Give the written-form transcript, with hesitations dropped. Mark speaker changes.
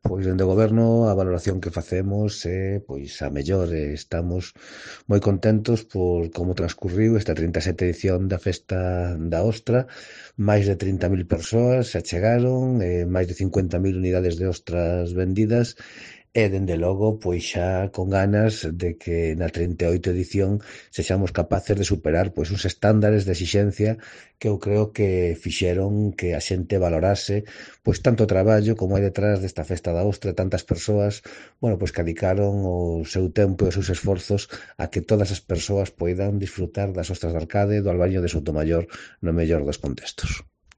Speaker 1: Pois dende o Goberno a valoración que facemos é pois a mellor. Estamos moi contentos por como transcurriu esta 37ª edición da Festa da Ostra. Máis de 30.000 persoas se achegaron, máis de 50.000 unidades de ostras vendidas e, dende logo, pois xa con ganas de que na 38ª edición sexamos capaces de superar pois uns estándares de exixencia que eu creo que fixeron que a xente valorase pois tanto o traballo como hai detrás desta Festa da Ostra, tantas persoas, bueno, pois que dedicaron o seu tempo e os seus esforzos a que todas as persoas poidan disfrutar das ostras de Arcade, do Albaño de Soutomaior no mellor dos contextos.